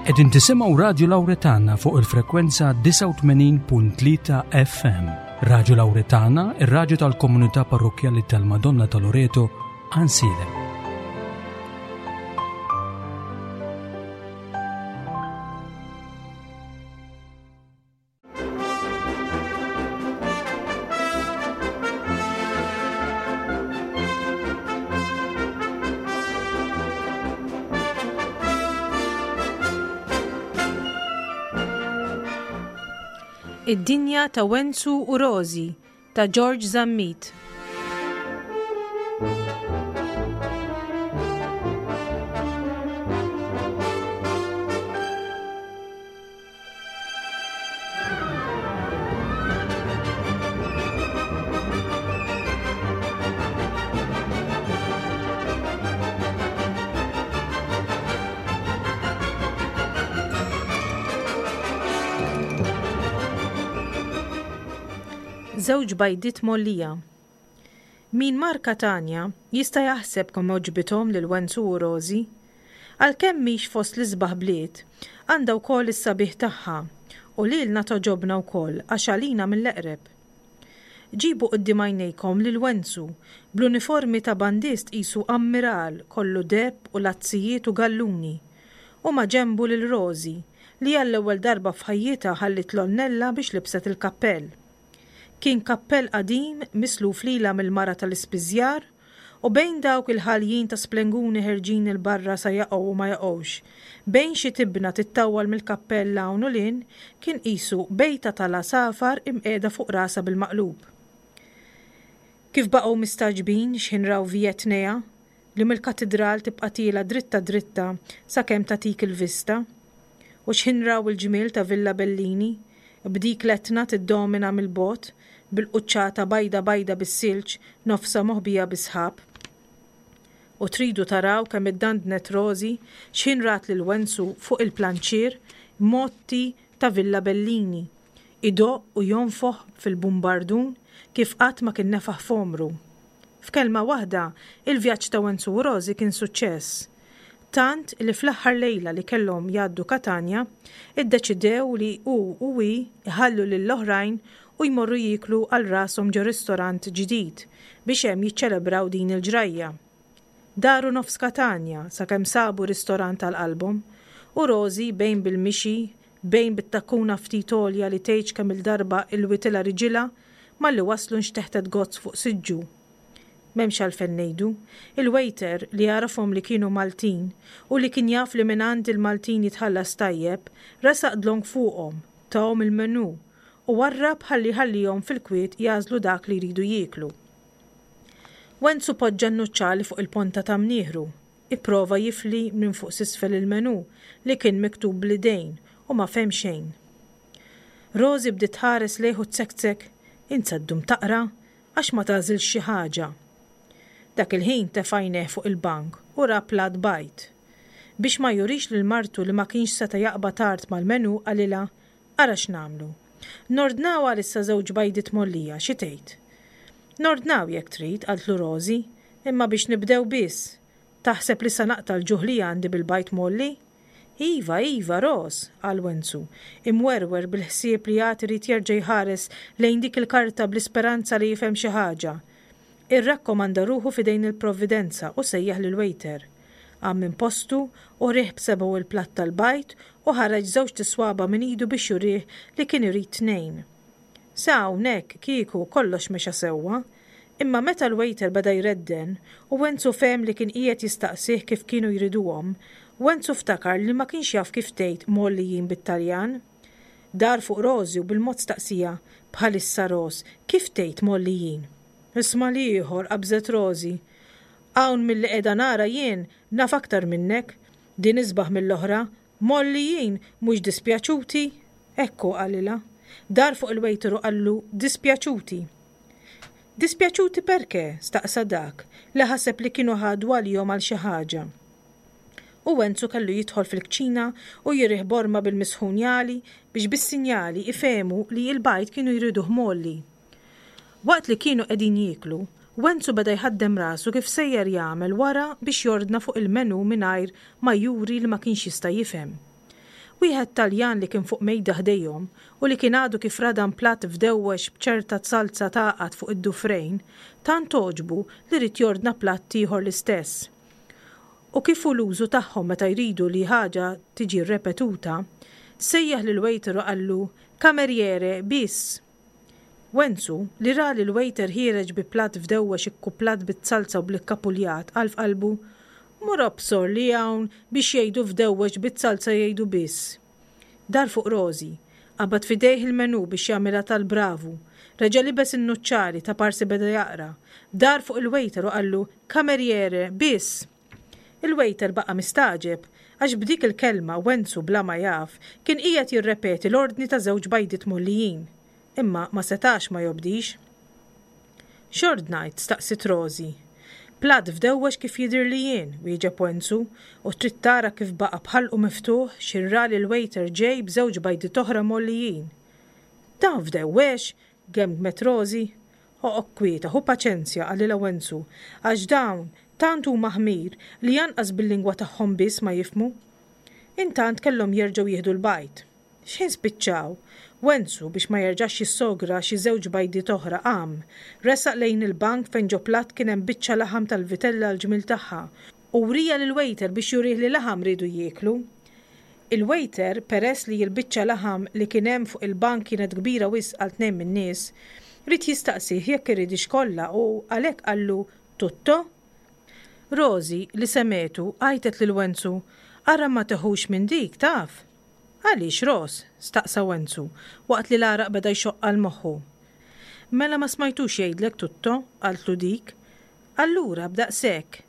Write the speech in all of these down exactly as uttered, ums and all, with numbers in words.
Qegħdin tisimgħu Radju Lawretana fuq il-frekwenza disgħa u tmenin punt tlieta F M. Radju Lawretana, ir-radju tal-komunità parrokkjali tal-Madonna ta' Loreto, Għajnsielem. Id-dinja ta' Wenzu u Rożi ta' George Zammit. Żewġ bajdiet mgħollija. Min mar Katanja jista' jaħseb kemm għoġbithom lil Wenzu u Rożi. Għalkemm mhix fost l-isbaħ bliet, għandha wkoll is-sabiħ tagħha u lilna toġobna wkoll għax għalina mill-eqreb. Ġibu quddiem għajnejkom lil Wenzu bl-uniformi ta' bandist qisu ammiral kollu deheb u lazzijiet u galluni u ma' ġenbu lil Rożi li għall-ewwel darba f'ħajjitha ħalliet l-onnella biex libset il-kappell. Kien kappell qadim misluf lilha mill-mara tal-ispiżjar u bejn dawk il-ħaljin ta' splenguni ħerġin il-barra sa jaqgħu u ma jaqgħux, bejn xi tibna tittawwal mill-kappell hawn u lin, kien qisu bejta tal-għasafar imqiegħda fuq rasha bil-maqlub. Kif baqgħu mistagħġbin x'ħin raw Vjetnea li mill-katidral tibqa' tiela dritta dritta sakemm tagħtik il-vista, u x'ħin raw il-ġmiel ta' Villa Bellini b'dik l-etna tiddomina mill-bogħod bil-quċċata bajda bajda bis-silġ nofsa moħbija bisħab. U tridu taraw kemm iddandnet Rożi x'ħin rat lil Wenzu fuq il-planċier motti ta' Villa Bellini, idoq u jonfoħ fil-bumbardun kif qatt ma kien nefaħ f'għomru. F'kelma waħda, il-vjaġġ ta' Wenzu u Rożi kien suċċess. Tant li fl-aħħar lejla li kellhom jgħaddu Katanja, iddeċidew li hu u hi jħallu lill-oħrajn u jmorru jieklu għal rashom ġo ristorant ġdid biex hemm jiċċelebraw din il-ġrajja. Daru nofs Katanja sakemm sabu ristorant għal qalbhom u Rożi bejn bil-mixi, bejn bit-takkuna ftit għolja li tgħidx kemm il-darba ilwitilha riġilha malli waslu nxteħtet gozz fuq siġġu. M'hemmx għalfejn ngħidu, il-waiter li għarafhom li kienu Maltin u li kien jaf li mingħand il-Maltin jitħallas tajjeb, resaq dlonk fuqhom, tahom il-menu u warrab ħalli ħallihom fil-kwiet jażlu dak li jridu jieklu. Wenzu poġġa n-nuċċali fuq il-ponta ta' mnieħru, ipprova jifli minn fuq s'isfel il-menu li kien miktub bl-idejn u ma fehem xejn. Rożi bdiet tħares lejh u tsektsek, int se ddum taqra għax ma tagħżilx xi ħaġa. Dak il-ħin tefajneh fuq il-bank u ra plat bajd. Biex ma jurix lil martu li ma kienx seta' jaqbad tard mal-menu qalilha, ara x'nagħmlu. Nordnaw għalissa żewġ bajdiet mgħollija, xi tgħid? Nordnaw jekk trid, qaltlu Rożi, imma biex nibdew biss. Taħseb li sa naqta' l-ġuħ li għandi bil-bajd mgħolli? Iva, iva, Ros, qal Wenzu, imwerwer bil-ħsieb li għad irid jerġa' jħares lejn dik il-karta bl-isperanza li jifhem xi ħaġa. Irrakkomanda ruħu f'idejn il-Provvidenza u sejjaħ lil waiter. Qam minn postu u riħ b'sebgħu il-platt tal-bajd u ħareġ żewġ tiswaba minn idu biex jurih li kien irid tnejn. Sa hawnhekk kieku kollox mexa sewwa, imma meta l-waiter beda jredden u Wenzu fehem li kien qiegħed jistaqsih kif kienu jriduhom, Wenzu ftakar li ma kienx jaf kif tgħid mgħollijin bit-Taljan. Dar fuq Rożi u bil-mod staqsija, bħalissa Ros, kif tgħid mgħollijin? Isma' l-ieħor, qabżet Rożi. Hawn milli qiegħda nara jien naf aktar minnek, din isbaħ mill-oħra, mgħollijin mhux dispjaċuti? Ekku qalilha. Dar fuq il-waiter u qallu dispjaċuti. Dispjaċuti perché? Staqsa dak li ħaseb li kienu ħadu għalihom għal xi ħaġa. U Wenzu kellu jidħol fil-kċina u jirih borma bil-misħun jali biex bis-sinjali ifehmu li l-bajd kienu jriduh mgħolli. Waqt li kienu qegħdin jieklu, Wenzu beda jħaddem rasu kif sejjer jagħmel wara biex jordna fuq il-menu mingħajr ma juri li ma kienx jista' jifhem. Wieħed Taljan li kien fuq mejda ħdejhom u li kien għadu kif radam platt fdewwex b'ċerta salza tagħqad fuq id-dufrejn, tant għoġbu li ried jordna platt ieħor l-istess. U kif hu l-użu tagħhom meta jridu li ħaġa tiġi rrepetuta, sejjaħ lill-waiter u qallu, Cameriere, bis! Wenzu, li ra lill-waiter ħiereġ bi platt fdewwex ikkuplat bit-salza u bl-ikkapuljat, qal f'qalbu, Mur obsor li hawn biex jgħidu fdewwex bit-salza jgħidu biss. Dar fuq Rożi. Qabad f'idejh il-menù biex jagħmilha tal-bravu. Reġa' libes in-nuċċali ta' parsi beda jaqra. Dar fuq il-waiter u qallu, Cameriere, biss! Il-waiter baqa' mistagħġeb għax b'dik il-kelma Wenzu bla ma jaf kien qiegħed jirrepeti l-ordni ta' żewġ bajdiet mgħollijin. Imma ma setax ma jobdix. X'ordnajt? staqsiet Rożi. Platt fdewwex kif jidhirli jien, wieġeb Wenzu, u trid tara kif baqa' b'ħalqu miftuħ x'ħin ra lill-waiter ġej b'żewġ bajdiet oħra mgħollijin. Dan fdewwex? gemgmet Rożi. Oqgħod kwieta, ħu paċenzja, qalilha Wenzu, għax dawn tant huma ħmir li anqas bil-lingwa tagħhom biss ma jifhmu. Intant kellhom jerġgħu jieħdu l-bajd. X'ħin spiċċaw, Wenzu, biex ma jerġax jissogra xi żewġ bajdiet oħra, qam, resaq lejn il-bank fejn ġo platt kien hemm biċċa laħam tal-vitella għall-ġmiel tagħha, u wriha lill-wejter biex jurih li laħam riedu jieklu. Il-wejter, peress li l-biċċa laħam li kien hemm fuq il-bank kienet kbira wisq għal tnejn min-nies, ried jistaqsih jekk iridhiex kollha u għalhekk qallu, Tutto? Rosie, li semgħetu, għajtet lil Wenzu, Ara ma teħux minn dik, taf! Għaliex, Ros? staqsa Wenzu, waqt li l-għaraq beda jxoqq għal moħħu. Mela ma smajtux jgħidlek tutto? qaltlu dik. Allura, b'daqshekk!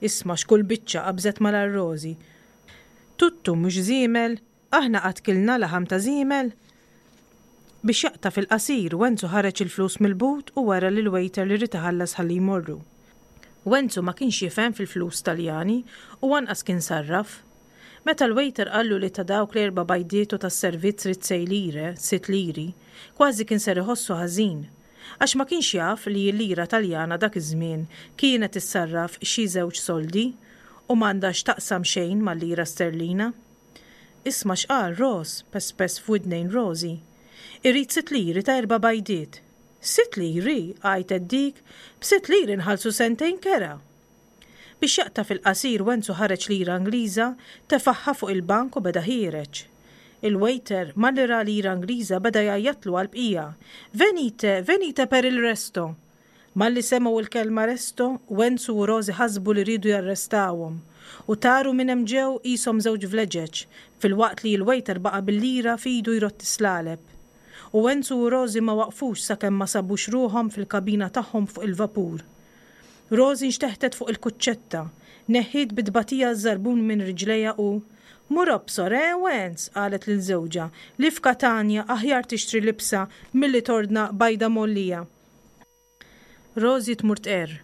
Isma' x'kull biċċa qabżet malajr Rosie. Tuttu mhux żiemel? Aħna qatt kilna laħam ta' żiemel? Biex jaqta' fil-qasir, Wenzu ħareġ il-flus mill-but u wera lill-waiter li ried iħallas ħalli jmorru. Wenzu ma kienx jifhem fil-flus Taljani u anqas kien sarraf. Meta l-waiter qallu li ta' dawk l-erba' bajdiet u tas-servizz ried sei lire, sitt liri, kważi kien ser iħossu ħażin, għax ma kienx jaf li l-lira Taljana dak iż-żmien kienet issarraf xi żewġ soldi u m'għandha x'taqsam xejn mal-lira sterlina. Isma' x'qal Ros, pespes f'widnejn Rosie. Irid sitt liri ta' erba' bajdiet. Sitt liri? għajtet dik, b'sitt liri nħallsu sentejn kera! Biex jaqta' fil-qasir Wenzu ħareġ lira Ingliża, tefagħha fuq il-bank u beda ħiereġ. Il-waiter, malli ra lira Ingliża beda jgħajjatlu għall-bqija, Venite, venite per il resto! Malli semgħu l-kelma resto, Wenzu u Rosie ħasbu li riedu jarrestawhom, u taru minn hemm ġew qishom żewġ vleġeġ, filwaqt li l-waiter baqa' bil-lira f'idu jrodd is-slaleb. U Wenzu u Rosie ma waqfux sakemm ma sabux ruħhom fil-kabina tagħhom fuq il-vapur. Rosie nxteħtet fuq il-kuċċetta, neħħiet bi tbatija ż-żarbun minn riġlejha u, Mur obsor, eh, Wenz, qalet lil żewġha, li f'Katanja aħjar tixtri libsa milli tordna bajda mgħollija. Rosie tmur tqerr.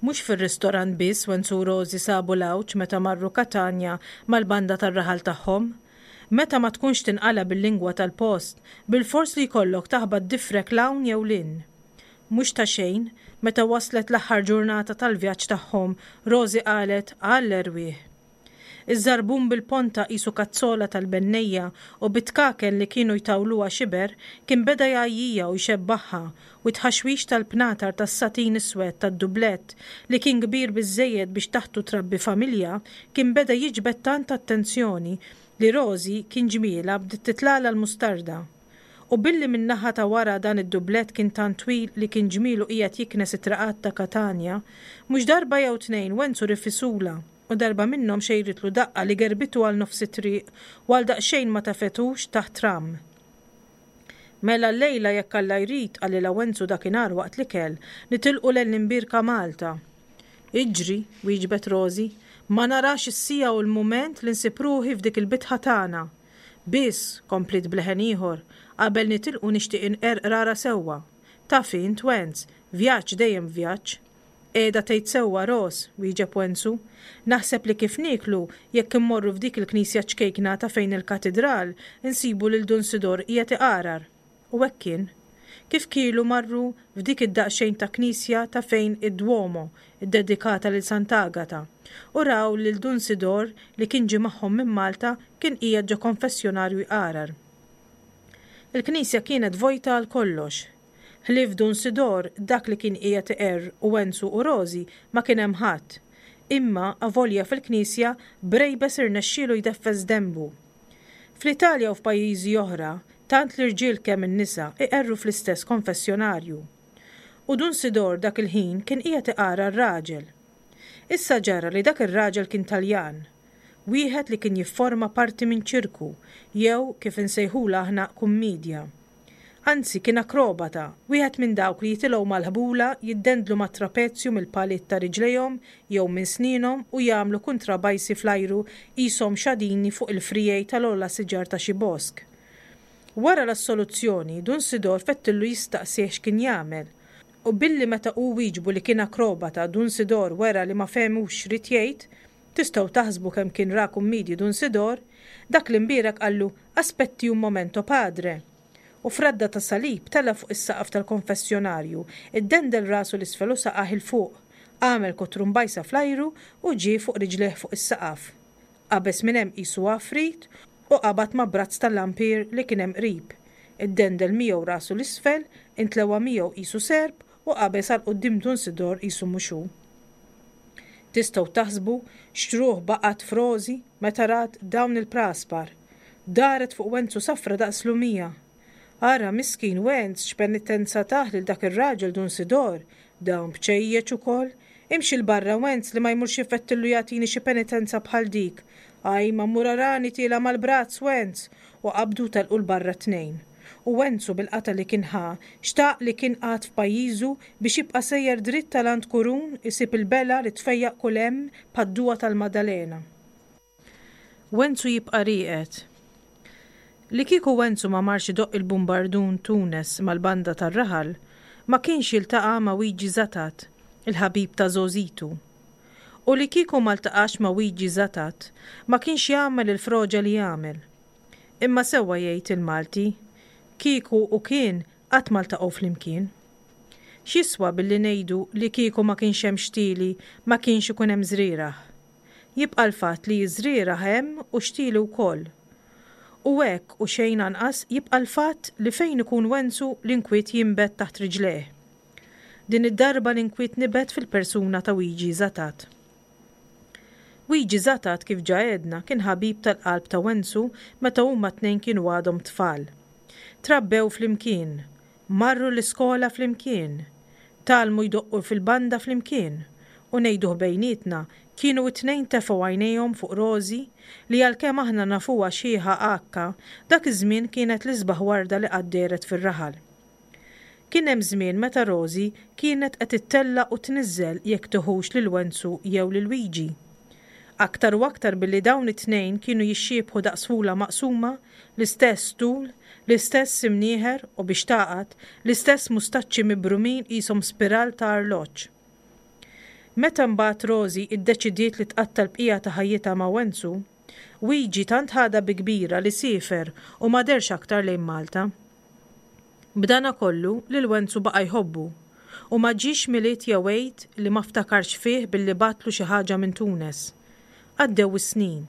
Mhux fir-ristorant biss Wenz u Rosie sabu l-għawġ meta marru Katanja mal-banda tar-raħal tagħhom. Meta ma tkunx tinqala' bil-lingwa tal-post, bilfors li jkollok taħbat difrek 'l hawn jew 'l hinn. Mhux ta' xejn, meta waslet l-aħħar ġurnata tal-vjaġġ tagħhom, Rosie qalet, Għall-erwieħ! Iż-żarbun bil-ponta qisu kazzola tal-bennejja u bit-tkaken li kienu jtawluha xiber kien beda jgħajjija u jxebbagħha u t-tħaxwix tal-pnatar tas-satin iswed tad-dublett li kien kbir biżżejjed biex taħtu trabbi familja kien beda jiġbed tant attenzjoni li Rosie kien ġmielha bdiet titlagħlha l-mustarda. U billi min-naħa ta' wara dan id-dublett kien tant twil li kien ġmielu qiegħed jiknes it-traqat ta' Katanja, mhux darba jew tnejn Wenzu rifisulha u darba minnhom xejritlu daqqa li gerbitu għal nofs it-triq u għal daqsxejn ma tafetux taħt tramm. Mela llejla jekk Alla jrid, qalilha Wenzu dakinhar waqt l-ikel, nitilqu lejn l-imbierka Malta. Iġri, wieġbet Rosie, ma narax is-siegħa u l-mument li nsib ruħi f'dik il-bitħa tagħna. Biss, kompliet b'leħen ieħor, qabel nitilqu nixtieq inqerr qrara sewwa. Taf int, Wenz, vjaġġ dejjem vjaġġ. Qiegħda tgħid sewwa, Ros, wieġeb Wenzu. Naħseb li kif nieklu, jekk immorru f'dik il-knisja ċkejkna ta' fejn il-katidral, insibu lil Dun Sidor qiegħed iqarar. U hekk kien. kif kielu marru f'dik id-daqsxejn ta' knisja ta' fejn id-Duomo, iddedikata lil Sant'Agata, u raw lil Dun Sidor li kien ġie magħhom minn Malta kien qiegħed ġo konfessjonarju jqarar. Il-knisja kienet vojta għal kollox. Ħlief Dun Sidor, dak li kien qiegħed iqerr u Wenzu u Rożi ma kien hemm ħadd. Imma avolja fil-knisja Brejbes irnexxielu jdeffes denbu. Fl-Italja u f'pajjiżi oħra, tant l-irġiel kemm in-nisa iqerru fl-istess konfessjonarju. U Dun Sidor dak il-ħin kien qiegħed iqarar raġel. Issa ġara li dak ir-raġel kien Taljan, wieħed li kien jifforma parti minn ċirku jew kif insejħulha aħna kummedja. Anzi kien akrobata, wieħed minn dawk li jitilgħu mal-ħbula, jiddendlu mat-trapezju mill-paliet ta' riġlejhom jew minn snienhom u jagħmlu kuntrabajsi fl-ajru qishom xadini fuq il-friegħi tal-ogħla siġar ta' xi bosk. Wara l-assoluzzjoni, Dun Sidor fettillu jistaqsih x'kien jagħmel. U billi meta hu wieġbu li kien akrobata Dun Sidor wera li ma fehmux x'ried jgħid, tistgħu taħsbu kemm kien ra kummidji Dun Sidor, dak l-imbierek qallu aspetti un momento padre. U f'radda ta' salib tela' fuq is-saqaf tal-konfessjonarju, iddendel rasu 'l isfel u saqajh 'il fuq, għamel kotrumbajsa fl-ajru u ġie fuq riġlejh fuq is-saqaf. Qabeż minn hemm qisu għafrit u qabad ma' brazz tal-lampier li kien hemm qrib. Iddendel miegħu rasu 'l isfel, intlewa miegħu qisu serp u qabeż għal quddiem Dun Sidor qisu mhux hu. Tistgħu taħsbu x'ruħ baqgħet f'Rożi meta rat dawn il-praspar. Daret fuq Wenzu safra daqs lumija. Ara miskin Wenz x'penitenza tah lil dak ir-raġel Dun Sidor, dawn bċejjeċ ukoll. Imxi 'l barra Wenz li ma jmurx ifettillu jagħtini xi penitenza bħal dik. Ajma mur arani tiela' mal-brazz Wenz, u qabdu telqu 'l barra t-tnejn. U Wenzu bil-qata li kien ħa, xtaq li kien qagħad f'pajjiżu biex jibqa' sejjer dritt tal-għand Kurun isib il-bela li tfejjaq kull hemm bħad-duwa tal-Maddalena. Wenzu jibqa' rieqed. Li kieku Wenzu ma marx idoqq il-bumbardun Tunes mal-banda tar-raħal, ma kienx jiltaqa' ma' Wiġi Zatat, il-ħabib ta' żgħożitu. U li kieku ma ltaqax ma' Wiġi Zatat, ma kienx jagħmel il-froġa li jagħmel. Imma sewwa jgħid il-Malti, kieku u kien qatt ma ltaqgħu flimkien. X'jiswa billi ngħidu li kieku ma kienx hemm xtieli ma kienx ikun hemm żrieragħ. Jibqa' l-fatt li żrieragħ hemm u xtieli wkoll. U hekk u xejn anqas jibqa' l-fatt li fejn ikun Wenzu l-inkwiet jinbet taħt riġlejh. Din id-darba l-inkwiet nibet fil-persuna ta' Wiġi Zatat. Wiġi Zatat kif ġa għedna kien ħabib tal-qalb ta' Wenzu meta huma t-tnejn kienu għadhom tfal. Trabbew flimkien, marru l-iskola flimkien, tgħallmu jdoqqu fil-banda flimkien, u ngħiduh bejnietna kienu t-tnejn tefgħu għajnejhom fuq Rożi li għalkemm aħna nafuha xiħa għakka, dak iż-żmien kienet l-isbaħ warda li qatt dehret fir-raħal. Kien hemm żmien meta Rożi kienet qed ittella' u tniżżel jekk tiħux lil Wenzu jew lil Wiġi. Aktar u aktar billi dawn it-tnejn kienu jixxiebħu daqs fula maqsuma, l-istess tul, l-istess imnieħer u biex taqgħad, l-istess mustaċċi mibrumin qishom spiral ta' arloġġ. Meta mbagħad Rożi iddeċidiet li tqatta' l-bqija ta' ħajjitha ma' Wenzu, Wiġi tant ħadha bi kbira li siefer u ma dehrx aktar lejn Malta. B'dana kollu lil Wenzu baqa' jħobbu u ma ġiex Milied jew Għid li ma ftakarx fih billi bagħatlu xi ħaġa minn Tunes. Għaddew is-snin.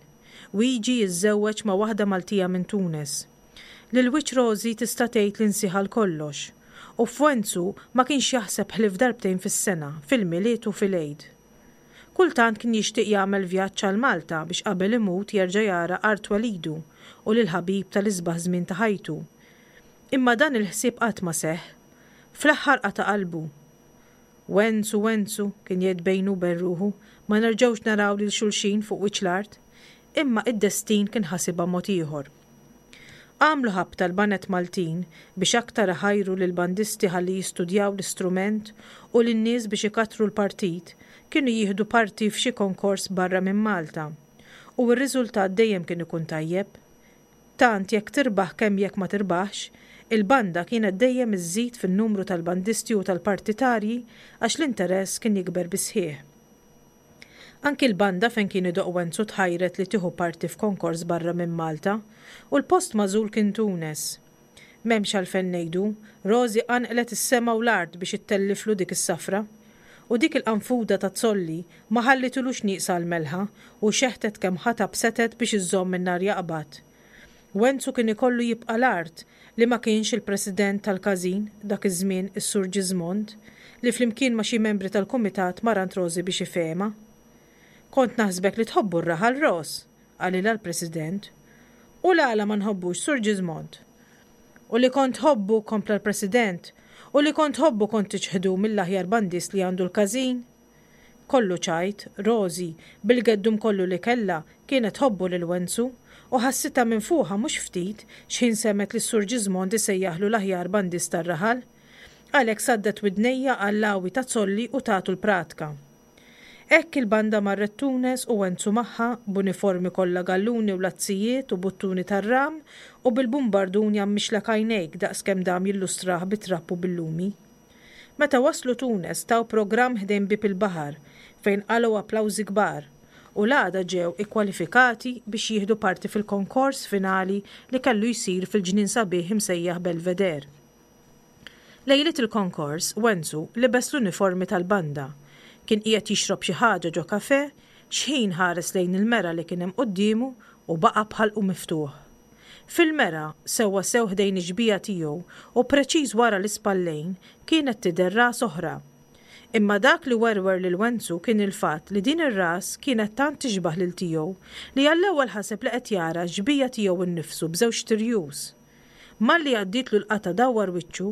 Wiġi jiżżewweġ ma' waħda Maltija minn Tunes. Lil wiċċ Rożi tista' tgħid li nsiha għal kollox. U f'Wenzu ma kienx jaħseb ħlief darbtejn fis-sena, fil-Milied u fil-Għid. Kultant kien jixtieq jagħmel vjaġġ għal Malta biex qabel imut jerġa' jara art twelidu u lil ħabib tal-isbaħ żmien ta' ħajtu. Imma dan il-ħsieb qatt ma seħħ. Fl-aħħar qata' qalbu. Wenzu, Wenzu, kien jgħid bejnu u bejn ruħu, ma nerġgħux naraw lil xulxin fuq wiċċ l-art. Imma id-destin kien ħasibha mod ieħor. Għamlu ħabta l-banet Maltin biex aktar iħajru lill-bandisti ħalli jistudjaw l-istrument u lin-nies biex ikattru l-partit, kienu jieħdu parti f'xi konkors barra minn Malta. U r-riżultat dejjem kien ikun tajjeb. Tant jekk tirbaħ kemm jekk ma tirbaħx, il-banda kienet dejjem iżżid fin-numru tal-bandisti u tal-partitarji għax l-interess kien jikber bisħieħ. Anki l-banda fejn kien idoqq Wenzu tħajret li tieħu parti f'konkors barra minn Malta u l-post magħżul kien Tunes. M'hemmx għalfejn ngħidu, Rożi qanqlet is-sema u l-art biex ittelliflu dik is-safra. U dik il-qanfuda ta' Zolli ma ħallitilux nieqsa l-melħa u xeħtet kemm ħatab setgħet biex iżżomm in-nar jaqbad. Wenzu kien ikollu jibqa' l-art li ma kienx il-president tal-każin dak iż-żmien is-Sur Ġiżmond li flimkien ma' xi membri tal-kumitat mar għand Rożi biex ifehemha. Kont naħsbek li tħobbu r-raħal Ros, qalilha l-president. U l-għala ma nħobbux, Sur Ġiżmond? U li kont tħobbu, kompla l-president, u li kont tħobbu kont tiċħdu mill-aħjar bandist li għandu l-każin? Kollu ċajt, Rożi, bil-geddum kollu li kellha, kienet tħobbu lil Wenzu, u ħassitha minfuħa mhux ftit x'ħin semgħet lis-Sur Ġiżmond isejjaħlu l-aħjar bandist tar-raħal. Għalhekk saddet widnejha għall-għawi ta' Zolli u tatu l-pratka. Hekk il-banda marret Tunes u Wenzu magħha, b'uniformi kollha galluni u lazzijiet u buttuni tar-ram u bil-bumbardun jgħammixlek għajnejk daqs kemm dam jillustrah bit-trapp u bil-lumi. Meta waslu Tunes taw programm ħdejn bieb il-baħar fejn qalgħu applawżi kbar u l-għada ġew ikkwalifikati biex jieħdu parti fil-konkors finali li kellu jsir fil-ġnien sabiħ imsejjaħ Belvedere. Lejliet il-konkors, Wenzu libes l-uniformi tal-banda. Kien qiegħed jixrob xi ħaġa ġo kafè x'ħin ħares lejn il-mera li kien hemm quddiemu u baqa' b'ħalqu miftuħ. Fil-mera, sewwa sew ħdejn ix-xbieha tiegħu u preċiż wara l-ispallejn, kienet tidher ras oħra. Imma dak li werwer lil Wenzu kien il-fatt li din ir-ras kienet tant tixbah lil tiegħu li għall-ewwel ħaseb li qed jara x-xbieha tiegħu nnifsu b'żewġt irjus. Malli għaddietlu l-qatgħa dawwar wiċċu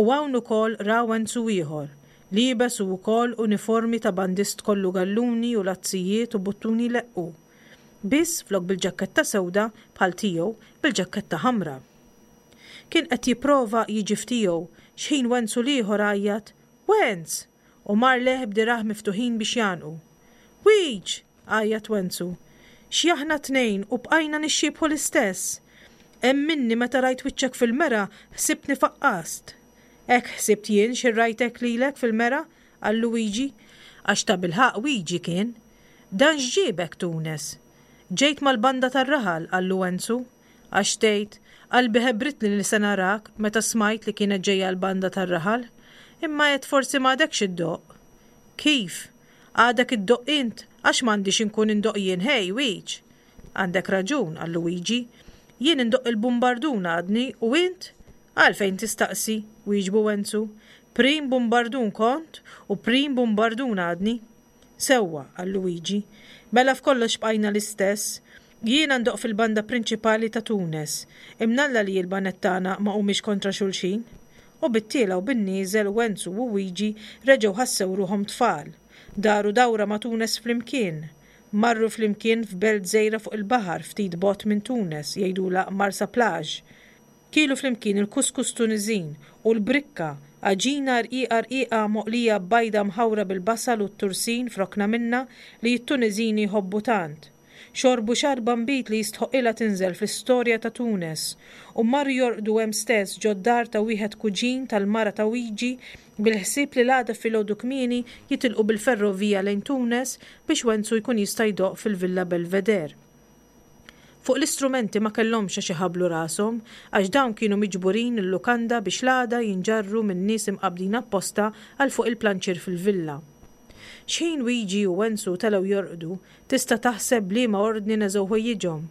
u hawn ukoll ra Wenzu ieħor, liebes hu wkoll uniformi ta' bandist kollu galluni u lazzijiet u buttuni jleqqu. Biss flok bil-ġakketta sewda bħal tiegħu, bil-ġakketta ħamra. Kien qed jipprova jiġi f'tiegħu x'ħin Wenzu l-ieħor għajjat, Wenz! U mar lejh b'dirgħajh miftuħin biex jgħannqu. Wiġ! għajjat Wenzu. Xi aħna tnejn u bqajna nixxiebħu l-istess! Emminni meta rajt wiċċek fil-mera ħsibtni faqqast. Hekk ħsibt jien xi rajtek lilek fil-mera, qal Luigi, għax tabilħaqq Wiġi kien. Dan x'ġiebek Tunes? Ġejt mal-banda tar-raħal, qallu Wenzu. Għax tgħid, qalbi ħebbritni li se narak meta smajt li kienet ġejja l-banda tar-raħal. Imma għedt forsi m'għadekx iddoqq. Kif? Għadek iddoqq int, għax m'għandix inkun indoqq jien, ħej, Wiġ? Għandek raġun, qal Luigi. Jien indoqq il-bumbardun għadni u int? Għalfejn tistaqsi, wieġbu Wenzu. Prim bumbardun kont u prim bumbardun għadni. Sewwa, qal Luigi. Mela f'kollox bqajna l-istess. Jiena ndoqq fil-banda prinċipali ta' Tunes. Imnalla li l-baned tagħna ma humiex kontra xulxin. U bit-tiela u bin-nieżel Wenzu u Wiġi reġgħu ħassew ruħhom tfal. Daru dawra ma' Tunes flimkien. Marru flimkien f'belt żgħira fuq il-baħar ftit bogħod minn Tunes, jgħidulha Marsa Plage. Kielu flimkien il-kuskus Tuniżin u l-brikka, għaġina rqiqa rqiqa moqlija b'bajda mħawra bil-basal u t-tursin f'rokna minnha li t-Tuniżini jħobbu tant. Xorbu xarba nbid li jistħoqqilha tinżel fl-istorja ta' Tunes u marru jorqdu hemm stess ġod-dar ta' wieħed kuġin tal-mara ta' Wiġi bil-ħsieb li l-għada filgħodu kmieni jitilqu bil-ferrovija lejn Tunes biex Wenzu jkun jista' jdoqq fil-Villa Belvedere. Fuq l-istrumenti ma kellhomx għax iħabblu rashom għax dawn kienu miġburin il-lukanda biex l-għada jinġarru minn nies imqabbdin apposta għal fuq il-planċier fil-villa. X'ħin Wiġi u Wenzu telgħu jorqdu, tista' taħseb b'liema ordni neżgħu ħwejjiġhom.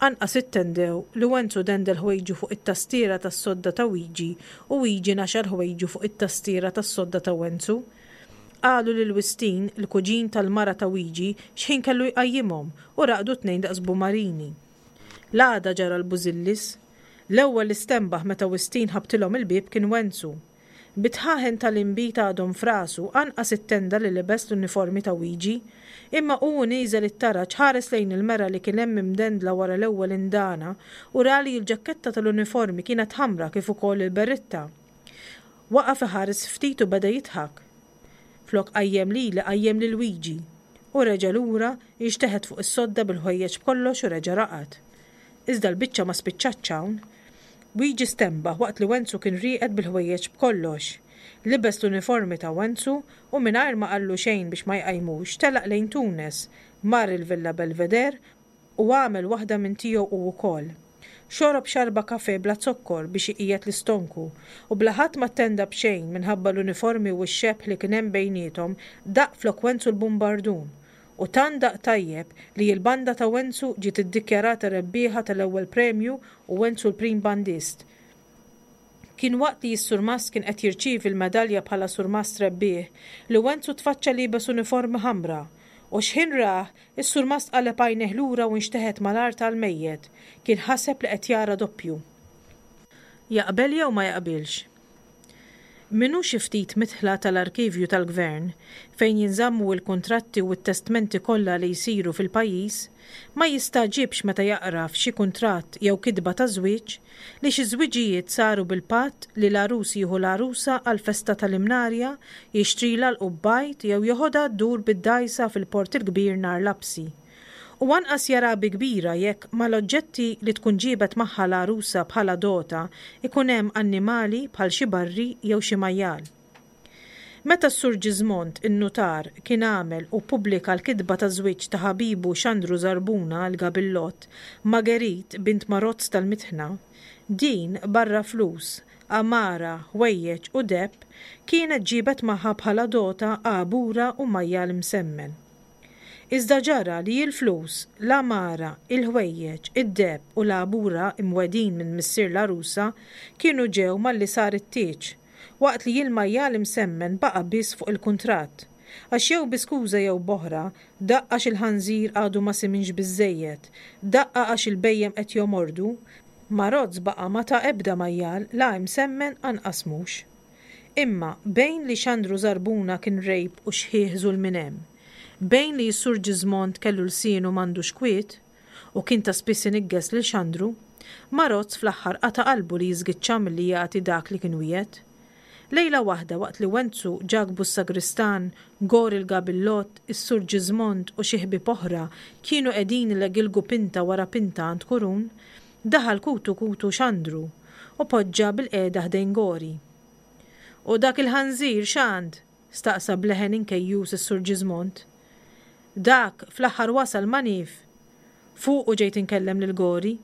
Anqas ittendew li Wenzu dendel ħwejġu fuq it-tastiera tas-sodda ta' Wiġi u Wiġi naxar ħwejġu fuq it-tastiera tas-sodda ta' Wenzu. Qalu lil Wistin, il-kuġin tal-mara ta' Wiġi, x'ħin kellu jqajjimhom u raqdu t-tnejn daqs bumarini. L-għada ġara l-bużillis. L-ewwel li stenbaħ meta Wistin ħabtilhom il-bieb kien Wenzu. Bit-tħaħen tal-inbid għadhom f'rasu, anqas it-tenda li libes l-uniformi ta' Wiġi. Imma hu u nieżel it-taraġ ħares lejn il-mera li kien hemm imdendla wara l-ewwel indana u ra li l-ġakketta tal-uniformi kienet ħamra kif ukoll il-berritta. Waqaf iħares ftit u beda jidħak. Flok qajjem lili qajjem lil Wiġi. U reġa' lura, inxteħet fuq is-sodda bil-ħwejjeġ b'kollox u reġa' raqad. Iżda l-biċċa ma spiċċatx hawn. Wiġi stenbaħ waqt li Wenzu kien rieqed bil-ħwejjeġ b'kollox. Libes l-uniformi ta' Wenzu u mingħajr ma qallu xejn biex ma jqajmux telaq lejn Tunes, mar il-Villa Belvedere u għamel waħda minn tiegħu hu wkoll. Xorob xarba kafè bla zokkor biex iqiegħed l-istonku, u bla ħadd ma ttenda b'xejn minħabba l-uniformi u x-xebh li kien hemm bejniethom, daqq flok Wenzu l-bumbardun. U tant daqq tajjeb li l-banda ta' Wenzu ġiet iddikjarata rebbieħa tal-ewwel premju u Wenzu l-prim bandist. Kien waqt li s-surmast kien qed jirċievi l-medalja bħala surmast rebbieħ li Wenzu tfaċċa liebes uniformi ħamra. U x'ħin rah, is-surmast qaleb għajnejh lura u nxteħet mal-art għal mejjet. Kien ħaseb li qed jara doppju. Jaqbel jew ma jaqbilx? Min hu xi ftit midħla tal-arkivju tal-Gvern, fejn jinżammu l-kuntratti u t-testmenti kollha li jsiru fil-pajjiż, ma jistagħġibx meta jaqra f'xi kuntratt jew kitba ta' żwieġ li xi żwiġijiet saru bil-patt li l-għarus jieħu l-għarusa għall-festa tal-Imnarja, jixtrilha l-qubbajt jew joħodha ddur bid-dgħajsa fil-Port il-Kbir nhar lapsi. U anqas jara bi kbira jekk mal-oġġetti li tkun ġiebet magħha l-għarusa bħala dota ikun hemm annimali bħal xi barri jew xi majjal. Meta s-Sur Ġiżmond in-nutar kien għamel u ppubblika l-kitba ta' żwieġ ta' ħabibu Xandru Żarbuna l-Gabillott ma' Gerit bint Marozz tal-Mitħna, din barra flus, għamara, ħwejjeġ u deheb kienet ġiebet magħha bħala dota għabura u majjal imsemmen. Iżda ġara li l-flus, l-għamara, il-ħwejjeġ, id-deheb u l-għabura imwegħdin minn missier l-għarusa kienu ġew malli sar it-tieġ, waqt li l-majjal imsemmen baqa' biss fuq il-kuntratt. Għax jew bi skuża jew b'oħra, daqqa għax il-ħanżir għadu ma siminx biżżejjed, daqqa għax il-bhejjem qed jomordu, Marozz baqa' ma ta ebda majjal la imsemmen anqas mhux. Imma bejn li Xandru Żarbuna kien rgħib u xħiħ żul minn hemm, bejn li s-Sur Ġiżmond kellu lsienu m'għandux kwiet u kien ta' spiss iniggeż lil Xandru, Marozz fl-aħħar qata' qalbu li jiżgiċċa milli jagħti dak li kien wiegħed. Lejla waħda waqt li Wenzu, Ġakbu s-sagristan, Gori l-Gabillott, is-Sur Ġiżmond u xi ħbieb oħra kienu qegħdin ilegilgu pinta wara pinta għand Kurun, daħal kutu kutu Xandru u poġġa bilqiegħda ħdejn Gori. U dak il-ħanżir x'għand? Staqsa b'leħen inkejjus is-Sur Ġiżmond. Dak fl-aħħar wasal ma nif. Fuqu ġejt inkellem lil Gori,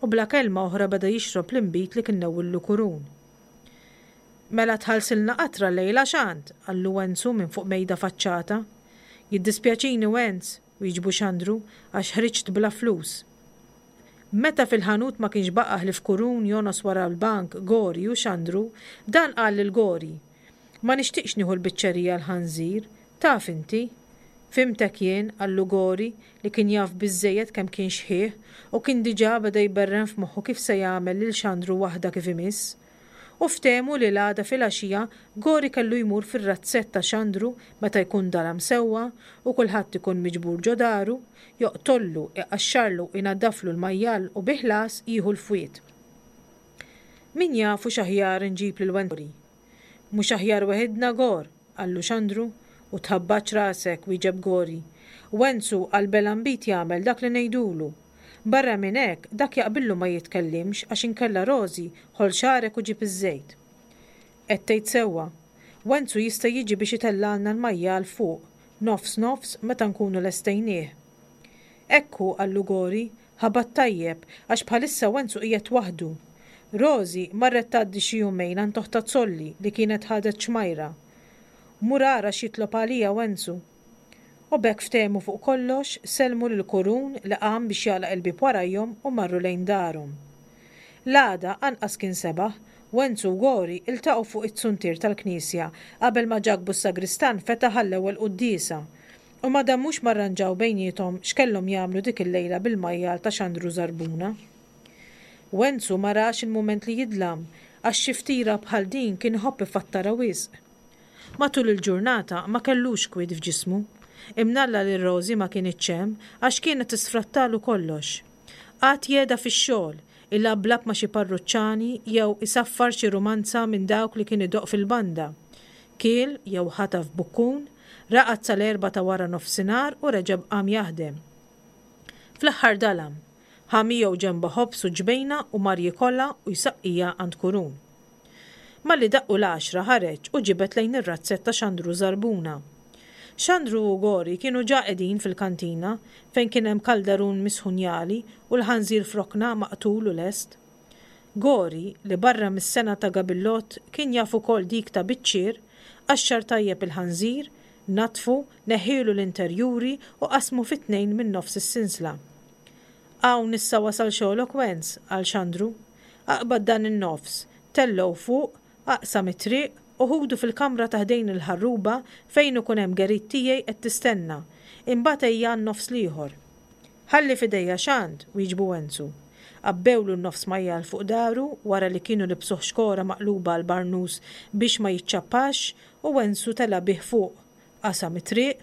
u bla kelma oħra beda jixrob l-inbid li kien newwillu Kurun. Mela tħallsilna qatra llejla x'għand? Qallu Wenzu minn fuq mejda faċċata. Jiddispjaċini Wenz, wieġbu Xandru, għax ħriġt bla flus. Meta fil-ħanut ma kienx baqa' ħlief Kurun jongħos wara l-bank, Gori u Xandru, dan qal lil Gori. Ma nixtieqx nieħu l-biċċerija l-ħanżir, taf inti. Fhimtek jien, qallu Gori, li kien jaf biżżejjed kemm kien xħiħ u kien diġà beda jberren f'moħħu kif se jagħmel lil Xandru waħda kif imiss. U ftehmu li l-għada filgħaxija Gori kellu jmur fir-razzett ta' Xandru meta jkun dalam sewwa u kulħadd ikun miġbur ġo daru, joqtollu, iqaxxarlu, inaddaflu l-majjal u bi ħlas jieħu l-fwied. Min jaf hux aħjar inġib lil Gori. Mhux aħjar weħidna Gor, qallu Xandru, u tħabbatx rasek, wieġeb Gori. Wenzu għal belambit jagħmel dak li ngħidulu. Barra minn hekk, dak jaqbillu ma jitkellimx għax inkella Rożi ħoll xagħrek u ġib iż-żejt. Qed tgħid sewwa. Wenzu jista' jiġi biex itellgħalna l-majjal fuq, nofs nofs meta nkunu lestejnieh. Ekku, qallu Gori, ħabat tajjeb għax bħalissa Wenzu qiegħed waħdu. Rożi marret tgħaddi xi jumejn għand oħtha Zolli li kienet ħadet xmajra. Mur ara x'jitlob għalija Wenzu. U b'hekk ftehmu fuq kollox, sellmu lil Kurun li qam biex jagħlaq il-bieb warajhom u marru lejn darhom. L-għada anqas kien sebaħ, Wenzu u Gori iltaqgħu fuq it-suntier tal-knisja qabel ma Ġakbu s-sagristan fetaħ għall-ewwel quddiesa. U ma damux ma rranġaw bejniethom x'kellhom jagħmlu dik il-lejla bil-majjal ta' Xandru Żarbuna. Wenzu ma rax il-mument li jidlam, għax xi ftira bħal din kien iħobb ifattarha wisq. Matul il-ġurnata ma kellux kwiet f'ġismu. Imnalla li Rożi ma kinitx hemm għax kienet tisfrattalu kollox. Qagħad jeda fix-xogħol, ilablab ma' xi parruċċani jew isaffar xi rumanza minn dawk li kien idoqq fil-banda. Kiel jew ħataf bukkun, raqad sal-erba ta' wara nofsinhar u reġa' qam jaħdem. Fl-aħħar dalam, ħa miegħu ġenba ħobż u ġbejna u mar jikolha u jsaqqija għand Kurun. Malli daqqu l-għaxra ħareġ u ġibed lejn ir-razzett ta' Xandru Żarbuna. Xandru u Gori kienu ġa qegħdin fil-kantina fejn kien hemm kaldarun misħun jagħli u l-ħanżir f'rokna maqtul u lest. Gori, li barra mis-sengħa ta' gabillott kien jaf ukoll dik ta' biċċier, qaxxar tajjeb il-ħanżir, naddfu, neħħielu l-interjuri u qasmu fi tnejn minn nofs is-sinsla. Hawn issa wasal xogħlok Wenz, qal Xandru. Aqbad dan in-nofs, tellgħu fuq, aqsam it-triq u ħudu fil-kamra ta' ħdejn il-ħarruba fejn ikun hemm Gerit tiegħi qed tistenna. Imbagħad ejja għan-nofs l-ieħor. Ħalli f'idejja Xand, wieġbu Wenzu. Għabbewlu n-nofs majjal fuq daru wara li kienu libsuh xkora maqluba għal barnus biex ma jiċċappax u Wenzu tela' bih fuq. Qasam it-triq,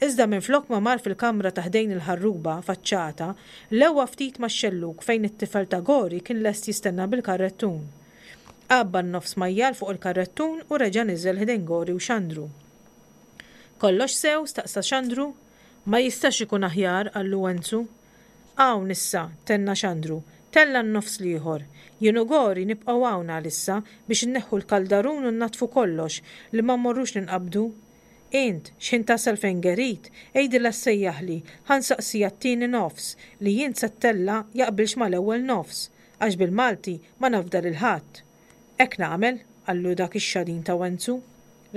iżda minflok ma mar fil-kamra ta' ħdejn il-ħarruba, faċċata, lewa ftit max-xellug fejn it-tifel ta' Gori kien lest jistenna bil-karrettun. Għabba n-nofs majjal fuq il-karrettun u reġa' niżel ħdejn Gori u Xandru. Kollox sew? staqsa Xandru. Ma jistax ikun aħjar, qallu Wenzu. Hawn issa, tenna Xandru, tella' n-nofs l-ieħor. Jien u Gori nibqgħu hawn għalissa biex inneħħu l-kaldarun u nnaddfu kollox li ma mmorrux ninqabdu. Int, x'ħin tasal fejn Gerit, għidilha ssejjaħli, ħa nsaqsiha t-tieni nofs li int se ttella' jaqbilx mal-ewwel nofs, għax bil-Malti ma nafda lil ħadd. Hekk nagħmel, qallu dak ix-xadin ta' Wenzu.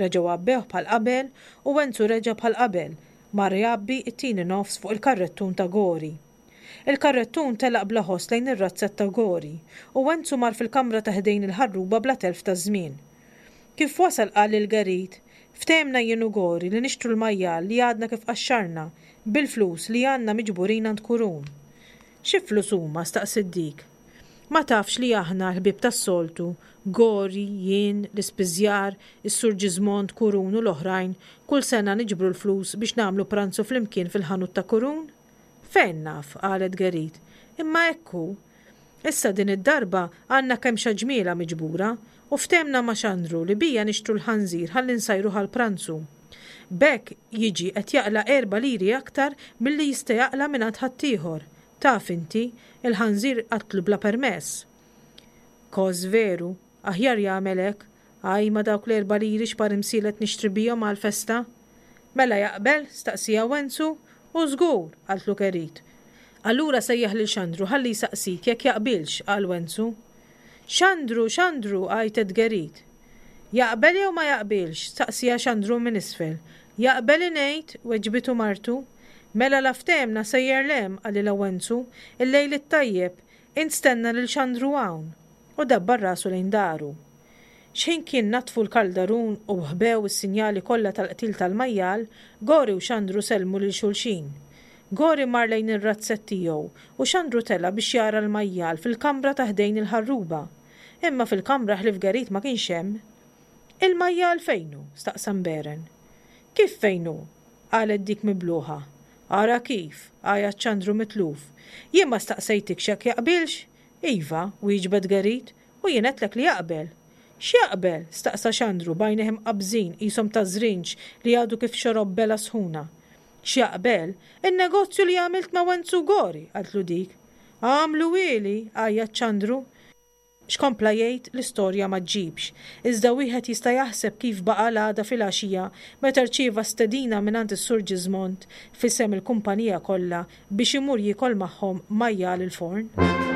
Reġgħu għabbewh bħal qabel u Wenzu reġa' bħal qabel, mar jgħabbi t-tieni nofs fuq il-karrettun ta' Gori. Il-karrettun telaq bla ħoss lejn ir-razzett ta' Gori u Wenzu mar fil-kamra ta' ħdejn il-ħarruba bla telf ta' żmien. Kif wasal qal lil Gerit, Ftehemna jien u Gori li nixtru l-majjal li għadna kif qaxxarna, bil-flus li għandna miġburin għand Kurun. Xi flus huma? staqsiet dik. Ma tafx li aħna, l-ħbieb tas-soltu, Gori, jien, l-ispiżjar, is-Sur Ġiżmond, Kurun u l-oħrajn, kull sena niġbru l-flus biex nagħmlu pranzu flimkien fil-ħanut ta' Kurun? Fejn naf, qalet Gerit. Imma hekk hu. Issa din id-darba għandna kemxa ġmielha miġbura u ftehemna ma' Xandru li bija nixtru l-ħanżir ħalli nsajruh għall-pranzu. B'hekk jiġi qed jaqla' erba' liri aktar milli jista' jaqla' mingħand ħaddieħor. Taf inti, il-ħanżir qatlu bla permess. Kos veru, aħjar jagħmel hekk, ajma dawk l-erba' liri x'par imsielet nixtri bihom għall-festa. Mela jaqbel? staqsieha Wenzu. U żgur, qaltlu Kerit. Allura sejjaħ lil Xandru ħalli jsaqsik jekk jaqbilx, qal Wenzu. Xandru, Xandru, għajtet Gerit. Jaqbel jew ma jaqbilx? staqsieha Xandru minn isfel. Jaqbel ingħid, weġbitu martu. Mela la ftehemna sejjer 'l hemm, qalilha Wenzu, il-lejl it-tajjeb, int stenna lil Xandru hawn. U dabbar rasu lejn daru. X'ħin kien naddfu l-kaldarun u ħbew is-sinjali kollha tal-qtil tal-majjal, Gori u Xandru sellmu lil xulxin. Gori mar lejn ir-razzett tiegħu u Xandru tela' biex jara l-majjal fil-kamra ta' ħdejn il-ħarruba. Imma fil-kamra ħlief Gerit ma kienx hemm. Il-majjal fejn hu? staqsa mberen. Kif fejn hu? qalet dik mibluha. Ara kif! għajat Xandru mitluf. Jien ma staqsejtikx jekk jaqbilx? Iva, wieġbet Gerit, u jien għedtlek li jaqbel. X'jaqbel? staqsa Xandru b'għajnejh imqabbżin qishom ta' żrinġ li għadu kif xorob belgħa sħuna. X'jaqbel? In-negozju li għamilt ma' Wenzu Gori, qaltlu dik. Għamluhieli! għajjat Xandru. X'kompla jgħid, l-istorja ma ġġibx. Iżda wieħed jista' jaħseb kif baqa' l-għada filgħaxija meta rċieva stedina mingħand is-Sur Ġiżmond f'isem il-kumpanija kollha biex imur jiekol magħhom majjal il-forn.